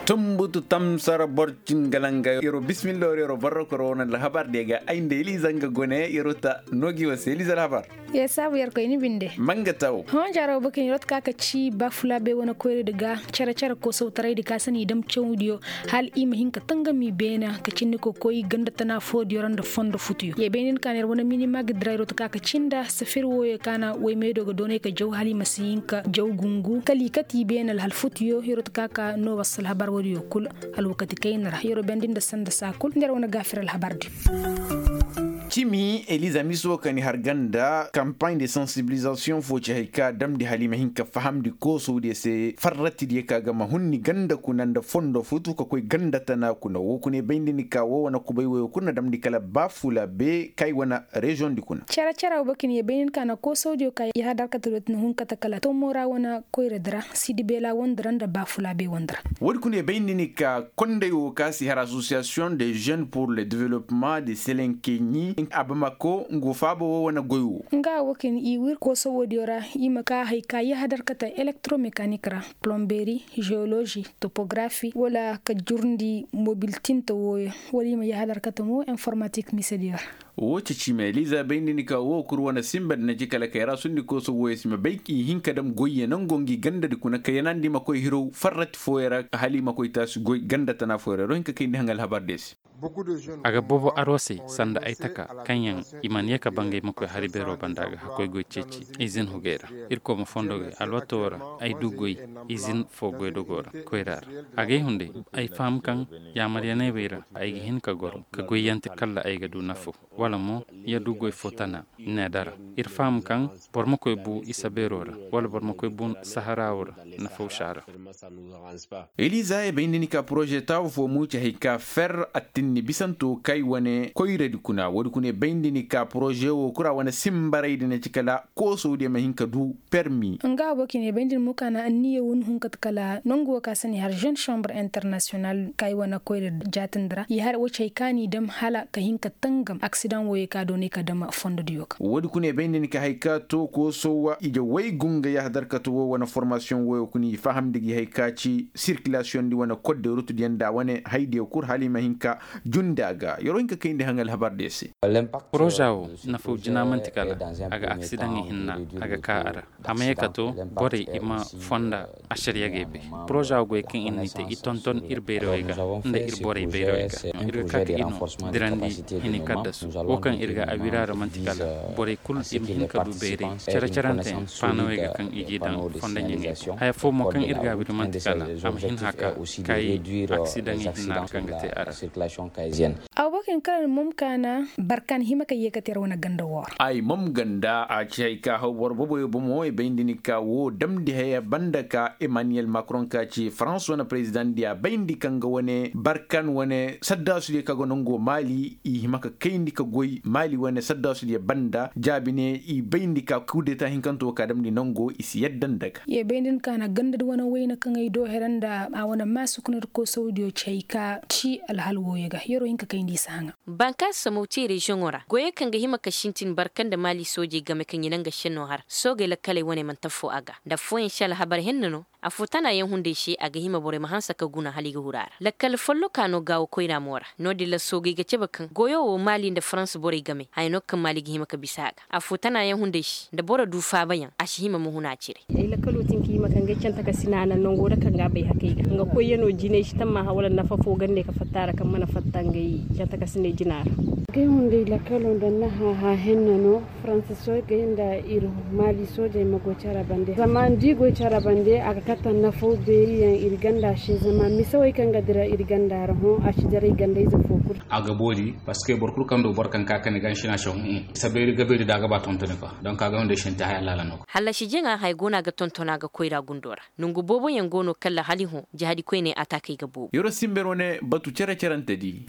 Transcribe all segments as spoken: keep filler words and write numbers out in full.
Tumbutu tamsara borcin galanga yero bismillah yero barrokoro wona alhabar de ga ay nda eliza nga gone yero ta nogi wase eliza alhabar. Ye sabu yer koy ni binde. Manga taw. Hon jaro bakin yero ta ka ka ci ba fula be wona koyre daga cara cara ko sautarai da ka sani dam cawdiyo. Hal i ma hin ka tangami beena ka cinni ko koy ganda tana fodiyo ra nda fondo futuyo ye benin ka ner wona minima ga dira yero ta ka ka cinda safir woyo ka na way meedo ga doonay ka jaw hal i ma si hin ka jaw gungu kala i kati beena alhal futuyo yero ta ka ka no wasa alhabar wodiyo kul. Alwakati kayna ra yero bendi nda sanda saa kul nder wona gaafir alhabar di. Cimi eliza miso ka ni har ganda campagne de sensibilisation fo ci hay ka damdi hal i ma hin ka fahamndi koosowdiyo se farratidiyo ka ga ma hunni ganda kuna nda fondo futu ka koy ganda tana kuna wo kuna i bayndi ni ka wo wane kubay woyo kul na damndi kala baafula be kay wane reziyoŋ di kuna. Cere cere wo bakin ye bayndi ni ka na koosowdiyo ka yahadar kate do ti na hun kate kala tomora wane koyra di ra sidi beela wandi ra nda baafula be wandi ra. Woodi kuna ye bayndi ni ka konday wo ka si har association de jeunes pour le développement de selenkeɲi abamako ngo faaba wo wane goy wo. Nga wo kaŋ i wir kooso woodiyo ra i ma ka hay ka yahadar kate elektromécanique ra, plomberie, géologie, topographie wala ka jurndi mobil tinta wooyo wala i ma yahadar kate mo informatique misediyo ra. Wo ceci ma eliza bayndi ni ka wo kul wane sinba da na ci kala kay ra sundi kooso wooyo si ma bay i hin ka dam goyye nango ngi ganda di kuna ka yanandi ma koy hirow farrati fooyo ra hala i ma koy taasi goy ganda tana fooyo ra ro hin ka kayndi haŋ alhabar de se. A ga boobo aroo se sanda ay taka kaŋ yaŋ i mana ye ka bangay ma koy hari beeroo banda ga hakkoy goy ceeci izin hugey ra. Irkoy ma fondo goy alwatoo ra ay du goy izin foo goydogoo ra koyra ra. A g'ay hunday ay faham kaŋ yaamaryaney wey ra ay ga hin ka goro ka goyyanti kalla ay ga du nafo wala mo ya du goy foo tana. Needa ra ir faham kaŋ boro ma koy bu isa beeroo ra wala boro ma koy bu saharaawo ra nafawsha ra. Eliza ye bayndi ni ka poroze taawu fo muuci hay ka fer attinni bisanto kay wane koyradi kuna woodi kuna ye bayndi ni ka poroze wo kura wane simbaraydi na ci kala koosowdiyo ma hin ka du permi. Nga wo kaŋ ye bayndi ni mo ka na anniya wo ni hun kate kala nangu wo ka sani har jeune chambre international kay wane koyradi jaatindi ra ye har wo ci hay ka ni dam hala ka hin ka tangam aksidaŋ wo ye ka doonay ka dam fondodiyo ga. Woodi kuna ye bayndi ni ka hay ka to koosowa ije way gunga yahadar kate wo wane formasiyoŋ woyo kuna i fahamndi gi hay ka ci sirkilasiyoŋ di wane kodde rutudiyaŋ nda wane haydiyo kul hala i ma hin ka jundi a ga yero hin ka kayndi haŋ alhabardiyo se. Poroza wo nafaw jina man'ti kala a ga aksidaŋ ihinna a ga ka a ra. A ma ye ka to borey i ma fonda ašariyagey bay. Poroza wo goy kaŋ ir n'i te i tonton ir bayrawey ga nda ir borey bayrawey ga ir ga ka ka i no dirandi hini kaddasu wo kaŋ ir ga a wira ra man'ti kala borey kul i ma hin ka du bayray care-caranteyaŋ faanawey ga kaŋ i g'i daŋ fonda ɲaŋey. Haya fo mo kaŋ ir ga a wiri man'ti kala a ma hin haka kay aksidaŋey hinna kaŋ ga te a ra. Aw bakin kalan mom kaana barkan hima ka yee ka te ra wane ganda woo ra. Ay mom ganda a ci hay ka haw boro boboyo bomo i bayndi ni ka woo damndi haya banda ka emmanuel macron ka ci farans wane prezidaŋ di a bayndi kaŋ ga wane barkan wane saddaasu di kaŋ ga nango maali i hima ka kayndi ka goy maali wane saddaasu di banda jaabi ne i bayndi ka kudeta hinkanto ka damndi nango i si yadda nda ga. Ye bayndi ni ka na ganda di wane wayna kaŋ ay do hera nda a wane maasukuna di koosawdiyo ci hay ka ci alhal wooyo ga yero hinka kayndi i si haŋa. Bankaasi samawti reziyoŋo ra goyey kaŋ ga hima ka sintin barka nda maali soojey game kaŋ i na nga šennoo har soogey lakkaley wane mana tafoo a ga nda affooyaŋ si alhabar henna no. Affoo tanaayaŋ hunday se a ga hima borey ma hanse ka guna hala i ga huru a ra lakkal follokaa no gaawo koyra mo ra. No-din ra soogey ga cabe kaŋ goyo wo maali nda farans borey game haya no kaŋ maali ga hima ka bisa a ga. Affoo tanaayaŋ hunday se nda boro du faabayaŋ a si hima ma huna cire. Ay lakkaloo tin ka hima ka ngay canta ka sina a naŋ nangoo ra kaŋ ga a bay hakey ga nga koyyanoo jinay si tammaha wala nafa foo gande ka fatta a ra kaŋ mana fatta ngay canta ka sinay jina ra. Gay hunday lakkaloo nda nahaha henna no faransa soojey nda ir maali soojey ma goy cara bande zama nda i goy cara bande a ga katta nafaw beeriyaŋ ir ganda se zama misawey kaŋ ga dira ir ganda ra hõ a si daray gandayze foo kul. A ga boori parceque boro kul kaŋ du boro kaŋ ka kani ga nsinasyoŋ. Sabeeri gabeeri da a ga ba tontoni kwa donk a ga hunday sinti haya laala no. Hallasi jaŋa haya go no a ga tonton a ga koyra gundo ra. Nongu booboyaŋ go no kalla hala i hõ jahadi koyney ataakey ga boobo. Yeroo sinba yeroo ne batu cere-cerante di.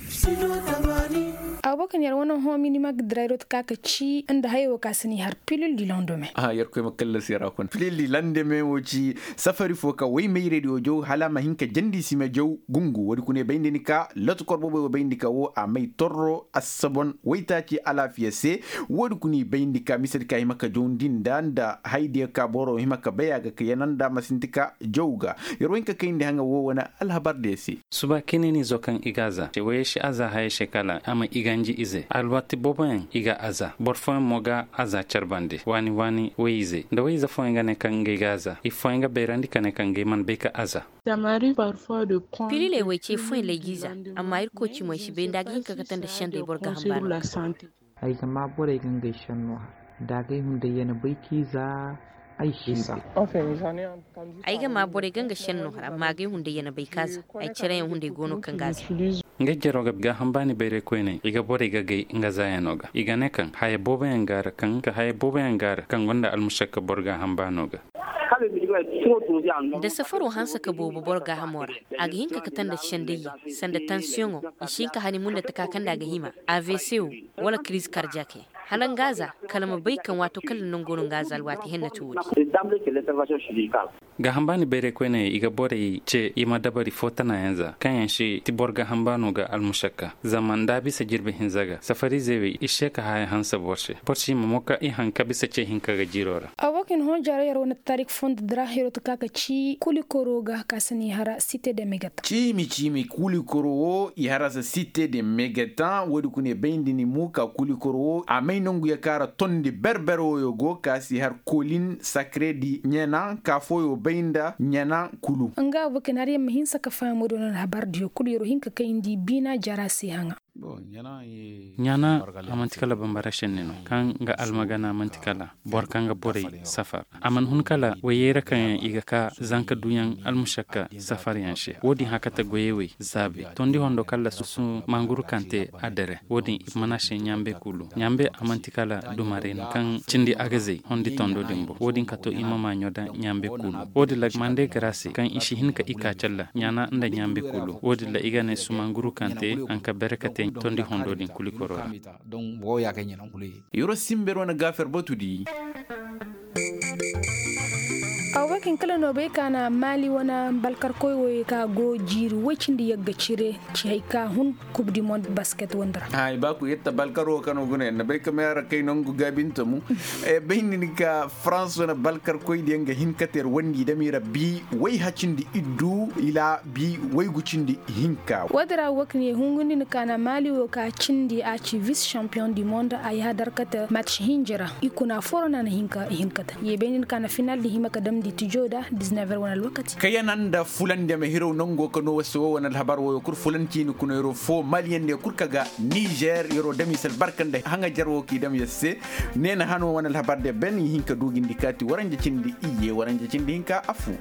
Aw Wo kaŋ yer wane hõ minima ga dira yer wo ti ka ka ci nda hayo wo ka si n'i har pilil di londome. Aha yer koy ma kallasi yer a kuna pilil di londome wo ci safari fo ka woy mayray di wo jaw hala a ma hin ka jandi sime jaw gungu wo- din kuna i bayndi ni ka loto kor booboy wo bayndi ka wo a may torro assabon waytaaci alaafiya se. Wo- din kuna i bayndi ka mise di ka hima ka jawndi nda nda haydiyo ka boro hima ka bay a ga ka yana nda a ma sinti ka jaw ga. Yer wo hin ka kayndi haŋa wo wane alhabar diyo se. Suba kinenizo kaŋ i ga a za woyey si a za hayey se kala a ma i ganji ize alwaati booboyaŋ i ga a za boro fooyaŋ mo ga a za care bande waani waani woy-ize nda woy-ize fooyaŋ ga ne kaŋ ngey ga a za i fooyaŋ ga bayrandi ka ne kaŋ ngey mana bay ka a za. Pililey woy ce fooyaŋ lay g'i za. Amma irkoy ci mo ay si bay nda a ga hin ka kate nda sendey boro ga hamba no. Ay ga maa borey ga ngey senno hara da agay hunday ya na bay k'i za. Ay si bay. Ay ga maa borey ga nga senno hara amma agay hunday ya na bay k'a za. Ay cere yaŋ hunday go no kaŋ ga a za. Ngey jaro ga gaaham baani bayray koyney i ga borey ga gay nga zaayano ga i ga ne kaŋ haya booboyaŋ ga a ra kaŋ ka haya booboyaŋ ga a ra kaŋ gonda almušakka boro gaaham baano ga. Da safaro hanse ka boobo boro gaahamo ra, a ga hin ka kate nda sendayyaŋ sanda tansiyoŋo, i si hin ka hani munda taka kaŋ nda a ga hima, avc wo, wala kiriz karjak yaŋ. Hala nga za kala ma bay kaŋ waato kala nango no nga za alwaati henna ti wo-din. Gaaham baani bayray koyney i ga borey ce i ma dabari fo tanayaŋ za kaŋ yaŋ si ti boro gaaham baano ga almušakka. Zama nda a bisa jirbi hinza ga safariizey wey i se ka haya hanse boro se boro si ma mo ka i haŋ ka bisa ce hinka ga jiiro ra. Abokin hõ jara yer wane taarik fondo dira yer wo ti ka ka ci kulikoro ga ka si n'i hara site de megata. Ciimi ciimi kulikoro wo i hara se site de megata wo- din kuna i bayndi ni mo ka kulikoro wo a may nangu ya kaŋ ra tondi berber woyo go ka si har kolin sakre di ɲana ka fooyo bay nda ɲana kulu. Nga abokin har yer ma hinsa ka faham wo- din no alhabar diyo kulu yer wo hin ka kayndi biina jara se haŋa. Ɲaana a man'ti kala bambara šenni no kaŋ ga almagana man'ti kala boro kaŋ ga borey safar. A mana hun kala wayyey ra kaŋ yaŋ i ga ka zanka duyaŋ almušakka safaryaŋ se wo-din hakata goyey wey zaabe tondi hondo kala susu manguru kaŋ te a dere wo-din i mana se ɲaambe kulu ɲaambe a man'ti kala dumarey no kaŋ cindi agazey hondi tondo din bo wo-din ka to i ma maaɲo da ɲaambe kulu. Wo-din la mande gara se kaŋ i si hin ka i ka calla ɲaana nda ɲaambe kulu wo-din la i ga ne sumanguru kaŋ te hanka bere ka te tondi hondo din kulikoro ra. Yoro simber wane gaafer batu di. Awakin kala no bay ka na maali wane balkarkoy woy ka go jiiri woy cindi yagga cire ci hay ka hun kub di mond basket wandara. Hay ba ku yetta balkaro kano guna yanna bay ka mayara kay nangu gabinta mu. Bay ni ka france wane balkarkoy di yanga hin kater wandi dami rabbi way hacindi iddu ila bi way gucindi hinka. Wadara wakne hungundi ni ka na maali wo ka cindi a ci vice champion du monde a yaha darkata match hinjira i kuna foro na na hinka i hinkata ye bay ni ka na final di hima ka damdi tijo da diznevre wane alwakati. Kayana nda fulan deme hiro nango ka no wase wo wane alhabar wo yo kur fulan cini kuna yaro fo maliyan ne kur ka ga niger yaro dami sal barkan da hanga jar wo ki dam yasse. Ne na hano wane alhabar de ben i hinka dugindi kati waranja cindi iye waranja cindi hinka afu.